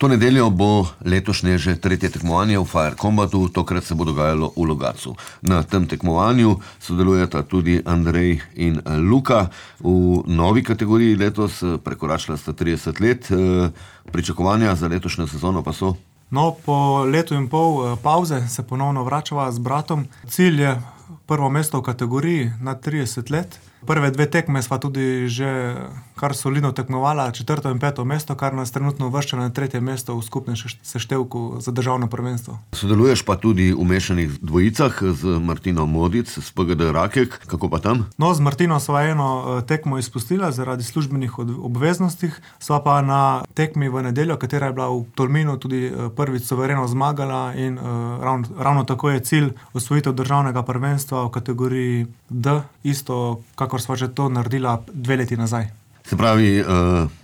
To nedeljo bo letošnje že tretje tekmovanje v Fire Combatu, tokrat se bo dogajalo v Logatcu. Na tem tekmovanju sodelujeta tudi Andrej in Luka. V novi kategoriji letos prekoračila sta 30 let. Pričakovanja za letošnjo sezono pa so? No, po letu in pol pauze se ponovno vračava z bratom. Cilj je prvo mesto v kategoriji na 30 let. Prve dve tekme sva tudi že kar solidno tekmovala, 4. in 5. mesto, kar nas trenutno uvršča na 3. mesto v skupnem seštevku za državno prvenstvo. Sodeluješ pa tudi v mešanih dvojicah z Martino Modic, z PGD Rakek. Kako pa tam? No, z Martino sva eno tekmo izpustila zaradi službenih obveznostih, sva pa na tekmi v nedeljo, katera je bila v Tolminu tudi prvič suvereno zmagala in ravno tako je cilj osvojitev državnega prvenstva v kategoriji D, isto kakor sva že to naredila 2 leti nazaj. Se pravi,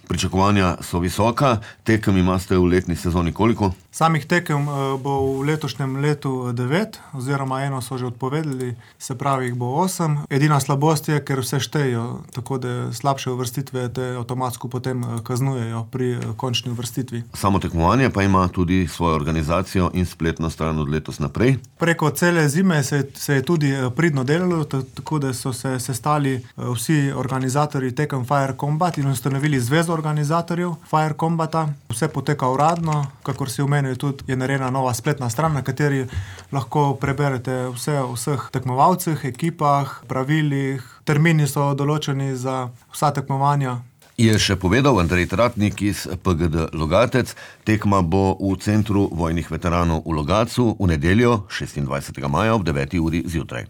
pričakovanja so visoka, tekem imate v letni sezoni koliko? Samih tekem bo v letošnjem letu 9, oziroma eno so že odpovedali, se pravi jih bo 8. Edina slabost je, ker vse štejo, tako da slabše uvrstitve te avtomatsko potem kaznujejo pri končni uvrstitvi. Samo tekmovanje pa ima tudi svojo organizacijo in spletno stran od letos naprej. Preko cele zime se je tudi pridno delalo, tako da so se sestali vsi organizatorji tekem Fire Combat in ustanovili zvezo organizatorjev Fire Combata. Vse poteka uradno, kakor si omenil, tudi je narejena nova spletna stran, na kateri lahko preberete vse o vseh tekmovalcih, ekipah, pravilih, termini so določeni za vsa tekmovanja. Je še povedal Andrej Tratnik iz PGD Logatec. Tekma bo v Centru vojnih veteranov v Logatcu v nedeljo 26. maja ob 9. uri zjutraj.